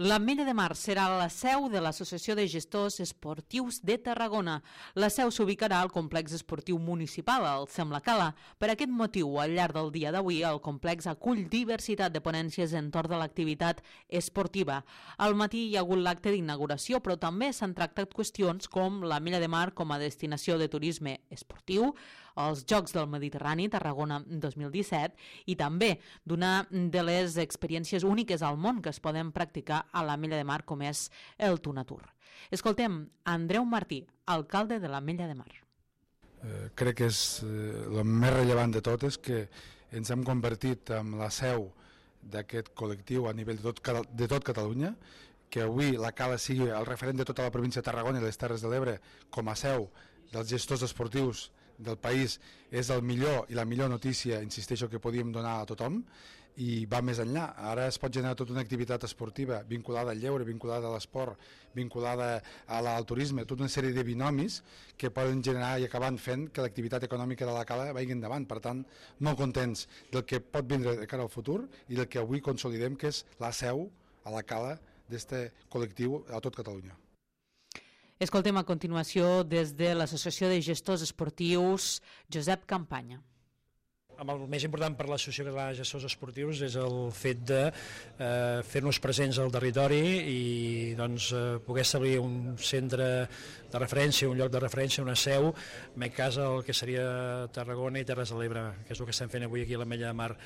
L'Ametlla de Mar serà la seu de l'Associació de Gestors Esportius de Tarragona. La seu s'ubicarà al complex esportiu municipal, al Sem la Cala. Per aquest motiu, al llarg del dia d'avui, el complex acull diversitat de ponències entorn de l'activitat esportiva. Al matí hi ha hagut l'acte d'inauguració, però també s'han tractat qüestions com l'Ametlla de Mar com a destinació de turisme esportiu, els Jocs del Mediterrani Tarragona 2017 i també d'una de les experiències úniques al món que es poden practicar a l'Ametlla de Mar, com és el Tunatur. Escoltem Andreu Martí, alcalde de l'Ametlla de Mar. Crec que és el més rellevant de tot és que ens hem convertit en la seu d'aquest col·lectiu a nivell de tot Catalunya, que avui la Cala sigui el referent de tota la província de Tarragona i les Terres de l'Ebre com a seu dels gestors esportius del país és el millor i la millor notícia, insisteixo, que podíem donar a tothom, i va més enllà. Ara es pot generar tota una activitat esportiva vinculada al lleure, vinculada a l'esport, vinculada al turisme, tota una sèrie de binomis que poden generar i acabar fent que l'activitat econòmica de la Cala vagi endavant. Per tant, molt contents del que pot vindre de cara al futur i del que avui consolidem, que és la seu a la Cala d'aquest col·lectiu a tot Catalunya. Escoltem a continuació des de l'Associació de Gestors Esportius Josep Campanya. El més important per l'Associació Catalana de Gestors Esportius és el fet de fer-nos presents al territori i poder establir un centre de referència, un lloc de referència, una seu, en aquest cas el que seria Tarragona i Terres de l'Ebre, que és el que estem fent avui aquí a l'Ametlla de Mar,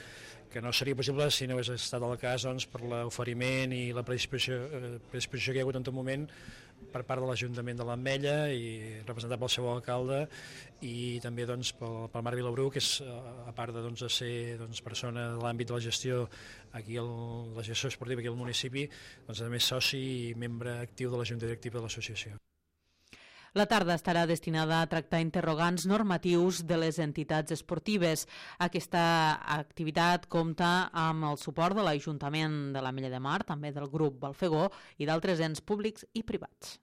que no seria possible si no hagués estat el cas per l'oferiment i la predisposició que hi ha hagut en tot moment per part de l'Ajuntament de l'Ametlla i representat pel seu alcalde i també pel Marc Vilabrú, que és, a part de ser persona de l'àmbit de la gestió aquí, la gestió esportiva aquí al municipi, a més soci i membre actiu de la Junta Directiva de l'associació. La tarda estarà destinada a tractar interrogants normatius de les entitats esportives. Aquesta activitat compta amb el suport de l'Ajuntament de l'Ametlla de Mar, també del grup Balfegó i d'altres ens públics i privats.